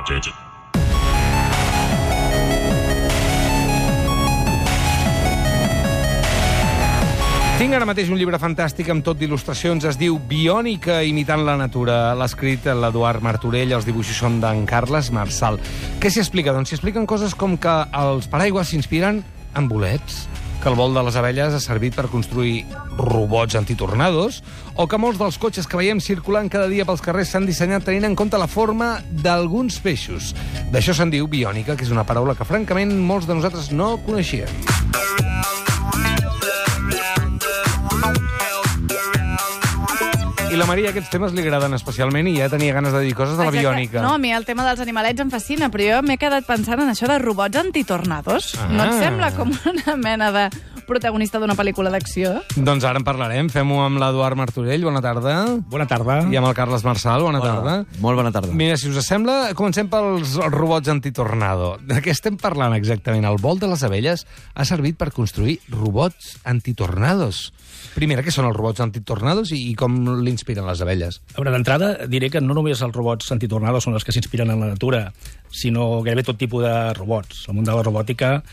Attention. Tinc ara mateix un llibre fantàstic amb tot d'il·lustracions. Es diu Biònica imitant la natura. L'ha escrit l'Eduard Martorell, els dibuixos són d'en Carles Marsal. Què s'hi explica? Doncs s'hi expliquen coses com que els paraigües s'inspiren en bolets, que el vol de les abelles ha servit per construir robots antitornados, o que molts dels cotxes que veiem circulant cada dia pels carrers s'han dissenyat tenint en compte la forma d'alguns peixos. D'això se'n diu biònica, que és una paraula que, francament, molts de nosaltres no coneixíem. I la Maria aquests temes li agraden especialment i ja tenia ganes de dir coses de la biònica. No, a mi el tema dels animalets em fascina, però jo m'he quedat pensant en això de robots antitornados. No et sembla com una mena de protagonista d'una pel·lícula d'acció? Doncs ara en parlarem. Fem-ho amb l'Eduard Martorell. Bona tarda. Bona tarda. I amb el Carles Marsal. Bona tarda. Molt bona tarda. Mira, si us sembla, comencem pels robots antitornado. De què estem parlant exactament? El vol de les abelles ha servit per construir robots antitornados. Primera, què són els robots antitornados i com l'inspiren les abelles? A veure, d'entrada diré que no només els robots antitornados són els que s'inspiren en la natura, sinó gairebé tot tipus de robots. El món de la robòtica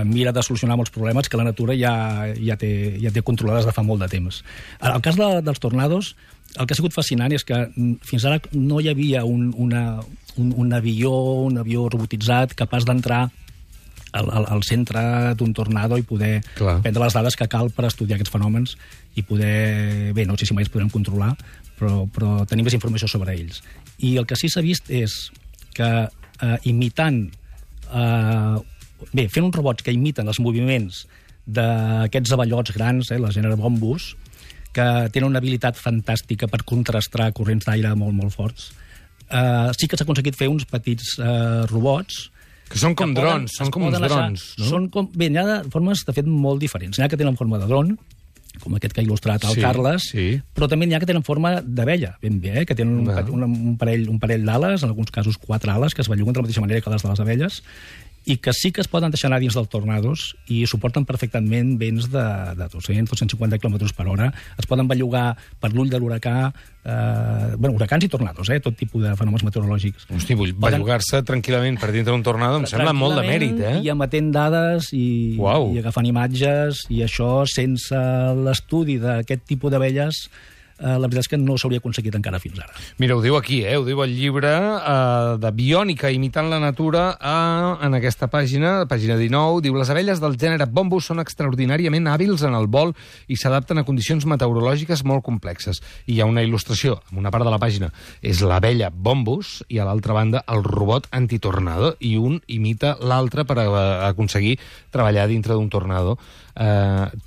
mira de solucionar molts problemes que la natura ja té controlades de fa molt de temps. En el cas dels tornados, el que ha sigut fascinant és que fins ara no hi havia un avió robotitzat capaç d'entrar al centre d'un tornado i poder prendre les dades que cal per estudiar aquests fenòmens i poder... Bé, no sé si mai els podrem controlar, però tenim més informació sobre ells. I el que sí s'ha vist és que imitant... fent uns robots que imiten els moviments d'aquests avellots grans, la gènere bombus, que tenen una habilitat fantàstica per contrastar corrents d'aire molt, molt forts, sí que s'ha aconseguit fer uns petits robots que són com drons, són com uns drons, no? Bé, n'hi ha de formes, de fet, molt diferents. N'hi ha que tenen forma de dron, com aquest que ha il·lustrat el Carles, però també n'hi ha que tenen forma d'abella, ben bé, que tenen un parell d'ales, en alguns casos 4 ales, que es belluguen de la mateixa manera que les de les abelles, i que sí que es poden deixar anar dins dels tornados i suporten perfectament vents de 200-250 km per hora. Es poden bellugar per l'ull de l'huracà, huracans i tornados, tot tipus de fenòmens meteorològics. Hosti, bellugar-se tranquil·lament per dintre d'un tornado em sembla molt de mèrit, I emetent dades i agafant imatges, i això sense l'estudi d'aquest tipus d'abelles la veritat és que no s'hauria aconseguit encara fins ara. Mira, ho diu aquí, ho diu el llibre de Biònica imitant la natura en aquesta pàgina 19, diu: les abelles del gènere bombus són extraordinàriament hàbils en el vol i s'adapten a condicions meteorològiques molt complexes. I hi ha una il·lustració, en una part de la pàgina és l'abella bombus i a l'altra banda el robot antitornado, i un imita l'altre per aconseguir treballar dintre d'un tornado.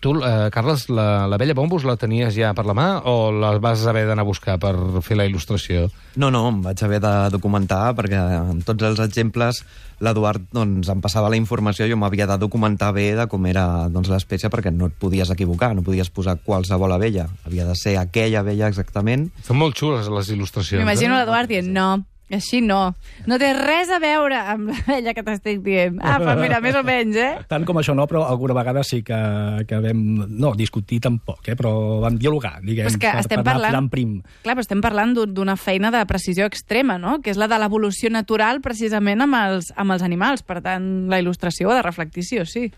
Tu, Carles, l'abella bombus la tenies ja per la mà o la vas haver d'anar a buscar per fer la il·lustració? No, em vaig haver de documentar perquè amb tots els exemples l'Eduard em passava la informació i jo m'havia de documentar bé de com era l'espècie, perquè no et podies equivocar, no podies posar qualsevol abella, havia de ser aquella abella exactament. Són molt xules les il·lustracions. M'imagino l'Eduard dient no. Així no. No té res a veure amb l'abella que t'estic dient. Però mira, més o menys, Tant com això no, però alguna vegada sí que vam... No, discutir tampoc, però vam dialogar, diguem, per anar tirant prim. Clar, però estem parlant d'una feina de precisió extrema, no?, que és la de l'evolució natural precisament amb els animals. Per tant, la il·lustració ha de reflectir sí o sí.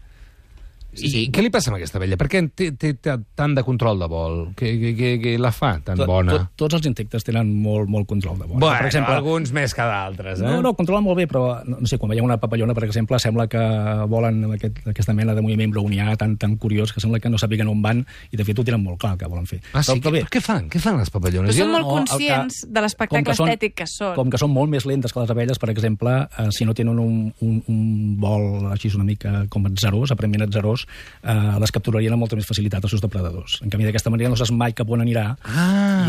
I què li passa amb aquesta abella? Per què té tant de control de vol? Què la fa tan bona? Tots els insectes tenen molt control de vol. Bueno, per exemple, alguns més que d'altres, No, controlen molt bé, però no sé, quan veiem una papallona, per exemple, sembla que volen aquesta mena de moviment brownià tan curiós que sembla que no sàpiguen on van, i de fet ho tenen molt clar que volen fer. Sí? Què fan? Què fan les papallones? Però són molt conscients de l'espectacle estètic que són. Com que són molt més lentes que les abelles, per exemple, si no tenen un vol així una mica com atzerós, aparentment atzerós, les capturarien amb molta més facilitat els seus depredadors. En canvi, d'aquesta manera no saps mai cap on anirà,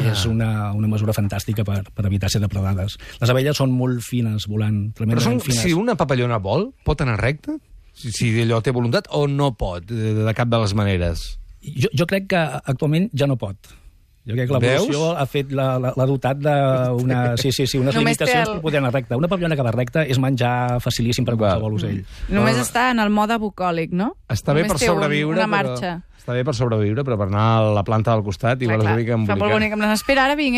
i és una mesura fantàstica per evitar ser depredades. Les abelles són molt fines, volant tremendament fines. Si una papallona vol, pot anar recte? Si allò té voluntat, o no pot, de cap de les maneres? Jo crec que actualment ja no pot. Jo crec que l'evolució l'ha dotat d'una... unes limitacions per poder anar recte. Una paviona que va recta és menjar facilíssim per qualsevol ocell. Només està en el mode bucòlic, no? Està bé per sobreviure, una marxa. Està bé per sobreviure, però per anar a la planta del costat igual és una mica embolicat. Fa molt bonic, espera, ara vinc,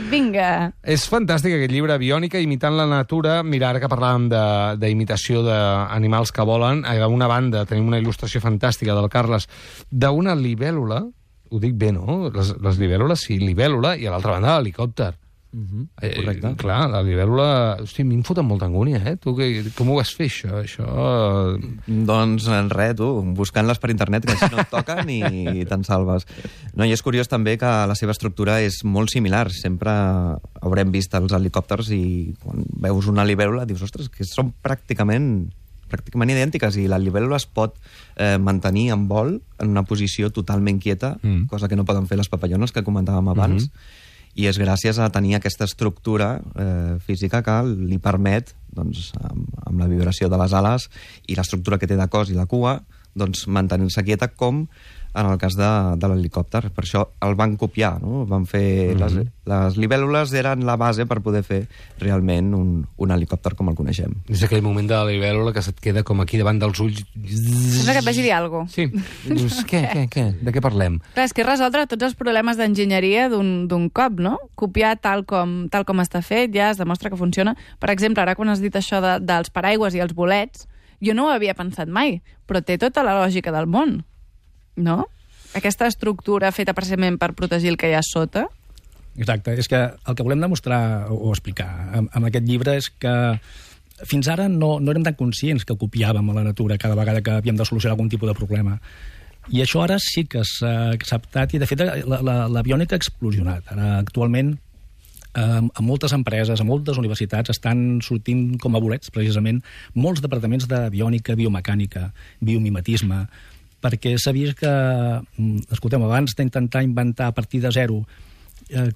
Vinga. És fantàstic aquest llibre, Biònica, imitant la natura. Mira, ara que parlàvem d'imitació d'animals que volen, d'una banda tenim una il·lustració fantàstica del Carles d'una libèl·lula, ho dic bé, no? Les libèl·lules, sí, libèl·lula, i a l'altra banda l'helicòpter. Correcte. Clar, la libèl·lula... Hosti, a mi em foten molta angúnia, Tu com ho vas fer, això? Doncs res, tu, buscant-les per internet, que així no et toquen i te'n salves. No, i és curiós també que la seva estructura és molt similar. Sempre haurem vist els helicòpters i quan veus una libèl·lula dius, ostres, que són pràcticament idèntiques, i la libèl·lula es pot mantenir en vol en una posició totalment quieta, cosa que no poden fer les papallones que comentàvem abans, i és gràcies a tenir aquesta estructura física que li permet, doncs, amb la vibració de les ales i l'estructura que té de cos i la cua, doncs, mantenir-se quieta, com en el cas de l'helicòpter. Per això el van copiar, no? Van fer... Les libèl·lules eren la base per poder fer realment un helicòpter com el coneixem. És aquell moment de la libèl·lula que se't queda com aquí davant dels ulls. Sembla que et vagi dir alguna cosa. Sí. Dius, què? De què parlem? Clar, és que és resoldre tots els problemes d'enginyeria d'un cop, no? Copiar tal com està fet, ja es demostra que funciona. Per exemple, ara quan has dit això dels paraigües i els bolets, jo no ho havia pensat mai, però té tota la lògica del món. No? Aquesta estructura feta precisament per protegir el que hi ha sota. Exacte. És que el que volem demostrar o explicar amb aquest llibre és que fins ara no érem tan conscients que copiàvem a la natura cada vegada que havíem de solucionar algun tipus de problema. I això ara sí que s'ha acceptat i, de fet, la biònica ha explosionat. Ara, actualment, a moltes empreses, a moltes universitats estan sortint com a bolets, precisament, molts departaments de biònica, biomecànica, biomimetisme, perquè s'ha vist que, escoltem, abans d'intentar inventar a partir de zero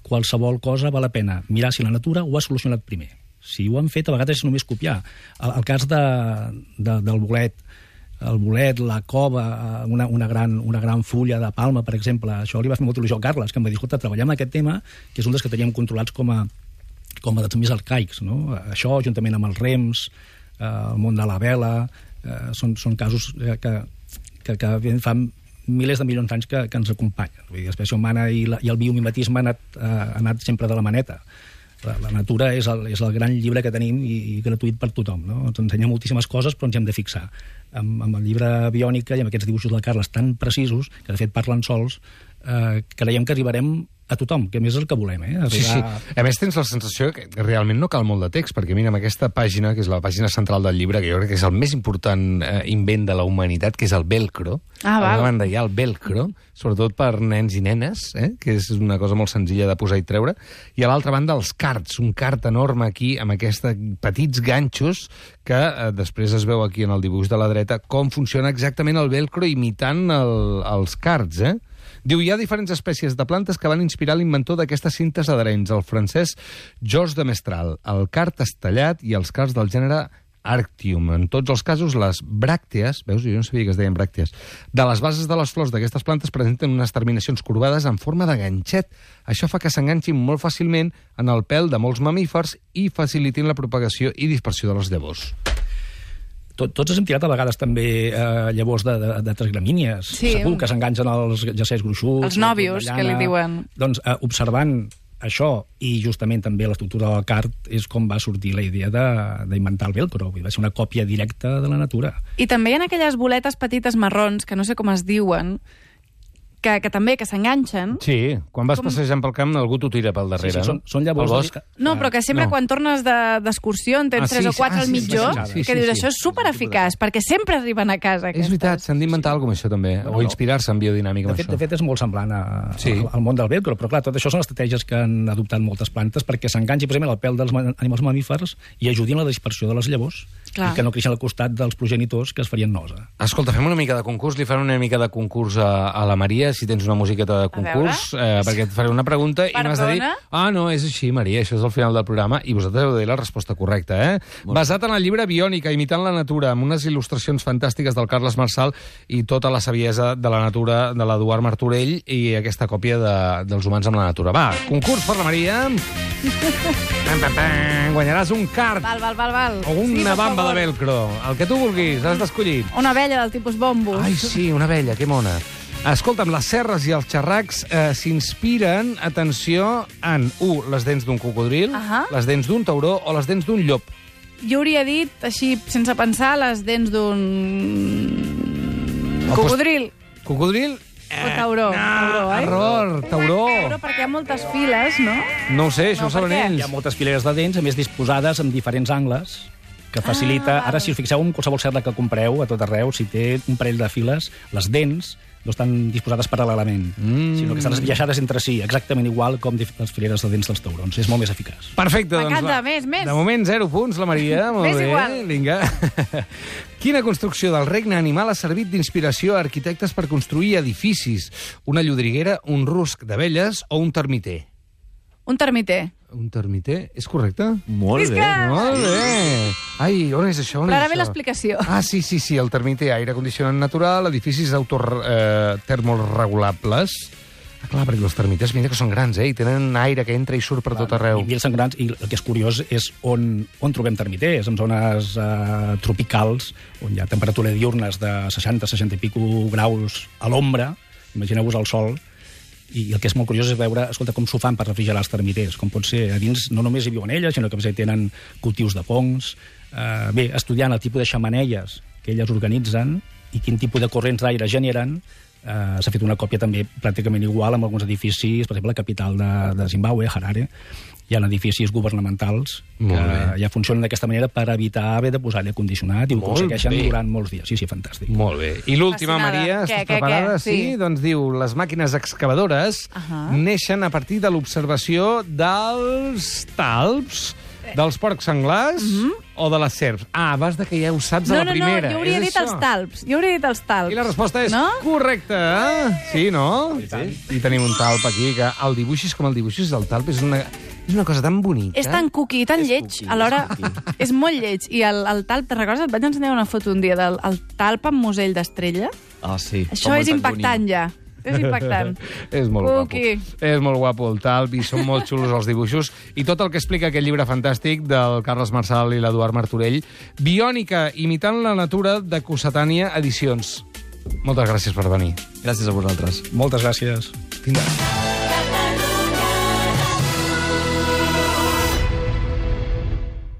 qualsevol cosa, val la pena mirar si la natura ho ha solucionat primer. Si ho han fet, a vegades és només copiar. El cas del bolet, la cova, una gran fulla de palma, per exemple, això li va fer molta il·lusió al Carles, que em va dir, escolta, treballem en aquest tema, que és un dels que teníem controlats com a dels més arcaics, no? Això, juntament amb els rems, el món de la vela, són casos que fa milers de milions d'anys que ens acompanyen. Vull dir, l'espècie humana i el biomimetisme ha anat sempre de la maneta. La natura és el gran llibre que tenim i gratuït per tothom, no? Ens ensenya moltíssimes coses, però ens hi hem de fixar. Amb el llibre Biònica i amb aquests dibuixos del Carles tan precisos, que de fet parlen sols, creiem que arribarem a tothom, que a més és el que volem, Sí. A més, tens la sensació que realment no cal molt de text, perquè mira, amb aquesta pàgina, que és la pàgina central del llibre, que jo crec que és el més important invent de la humanitat, que és el velcro. A una banda hi ha el velcro, sobretot per nens i nenes, que és una cosa molt senzilla de posar i treure, i a l'altra banda els cards, un card enorme aquí, amb aquests petits ganxos, que després es veu aquí en el dibuix de la dreta, com funciona exactament el velcro imitant els cards, Diu, hi ha diferents espècies de plantes que van inspirar l'inventor d'aquestes cintes adherents, el francès Georges de Mestral, el card estellat i els cards del gènere Arctium. En tots els casos, les bràctees, veus, jo no sabia que es deien bràctees, de les bases de les flors d'aquestes plantes presenten unes terminacions corbades en forma de ganxet. Això fa que s'enganxin molt fàcilment en el pèl de molts mamífers i facilitin la propagació i dispersió de les llavors. Tots hem tirat a vegades també llavors d'altres gramínies. Sí. Segur que s'enganxen els jacers gruixuts. Els nòvios, que li diuen. Doncs observant això i justament també l'estructura del card és com va sortir la idea d'inventar el velcro. Va ser una còpia directa de la natura. I també hi ha aquelles boletes petites marrons, que no sé com es diuen, que també s'enganxen. Sí, quan vas passejant pel camp algú t'ho tira pel darrere, sí, són llavors... No, però que sempre quan tornes d'excursió en tens 3 o 4 al mitjó, que dius, això és supereficaç, perquè sempre arriben a casa. És veritat, s'han d'inventar alguna cosa amb això també, o inspirar-se en biodinàmica amb això. De fet, és molt semblant al món del velcro, però clar, tot això són estratègies que han adoptat moltes plantes perquè s'enganxi precisament el pèl dels animals mamífers i ajudin a la dispersió de les llavors i que no creixin al costat dels progenitors que es farien nosa. Escolta, fem una mica de concurs, li farem una mica de concurs a la Maria. si tens una musiqueta de concurs, perquè et faré una pregunta i m'has de dir... No, és així, Maria, això és el final del programa, i vosaltres heu de dir la resposta correcta, Basat en el llibre Biònica, imitant la natura, amb unes il·lustracions fantàstiques del Carles Marsal i tota la saviesa de la natura de l'Eduard Martorell i aquesta còpia dels humans amb la natura. Va, concurs per la Maria. Guanyaràs un card. Val. O una bamba de velcro. El que tu vulguis, has d'escollir. Una abella del tipus bombos. Ai, sí, una abella, que mona. Escolta'm, les serres i els xerracs s'inspiren, atenció, en, les dents d'un cocodril, les dents d'un tauró o les dents d'un llop. Jo hauria dit, així, sense pensar, les dents d'un cocodril. Cocodril? O tauró. Error, tauró. Tauró perquè hi ha moltes files, no? No ho sé, això ho saben ells. Hi ha moltes fileres de dents, a més disposades en diferents angles, que facilita... Ara, si us fixeu en qualsevol serra que compreu a tot arreu, si té un parell de files, les dents no estan disposades paral·lelament, sinó que estan esbiaixades entre si, exactament igual com les fileres de dents dels taurons. És molt més eficaç. Perfecte, doncs m'encanta, més. De moment, 0 punts, la Maria. Molt més bé. Igual. Vinga. Quina construcció del regne animal ha servit d'inspiració a arquitectes per construir edificis? Una llodriguera, un rusc d'abelles o un termiter? Un termiter. Un termiter? És correcte? Molt bé. Molt bé. Ai, on és això? Però ara ve l'explicació. Sí, el termiter, aire condicionat natural, edificis termoregulables. Clar, perquè els termites, mira que són grans, i tenen aire que entra i surt per tot arreu. I són grans, i el que és curiós és on trobem termiters, en zones tropicals, on hi ha temperatura diurnes de 60 i pico graus a l'ombra, imagineu-vos el sol, i el que és molt curiós és veure, escolta, com s'ho fan per refrigerar els termiters, com pot ser, a dins no només hi viuen elles, sinó que tenen cultius de fongs, estudiant el tipus de xemeneies que elles organitzen i quin tipus de corrents d'aire generen. S'ha fet una còpia també pràcticament igual amb alguns edificis, per exemple, la capital de Zimbabue, Harare. Hi ha edificis governamentals que ja funcionen d'aquesta manera per evitar haver de posar aire condicionat i ho aconsegueixen durant molts dies. Sí, fantàstic. Molt bé. I l'última, Maria, estàs preparada? Sí, doncs diu, les màquines excavadores neixen a partir de l'observació dels talps, dels porcs senglars o de les serps? Vas de que ja ho saps a la primera. No, jo hauria dit els talps. I la resposta és correcta. Sí, no? I tenim un talp aquí, que el dibuixis com el dibuixis, el talp és una cosa tan bonica. És tan cookie, tan lleig. Alhora, és molt lleig. I el talp, te'n recordes? Et vaig ensenyar una foto un dia del talp amb musell d'estrella. Sí. Això és impactant, ja. És impactant. És molt guapo. És molt guapo el talp i són molt xulos els dibuixos. I tot el que explica aquest llibre fantàstic del Carles Marsal i l'Eduard Martorell. Biònica, imitant la natura, de Cossetània Edicions. Moltes gràcies per venir. Gràcies a vosaltres. Moltes gràcies. Vinga.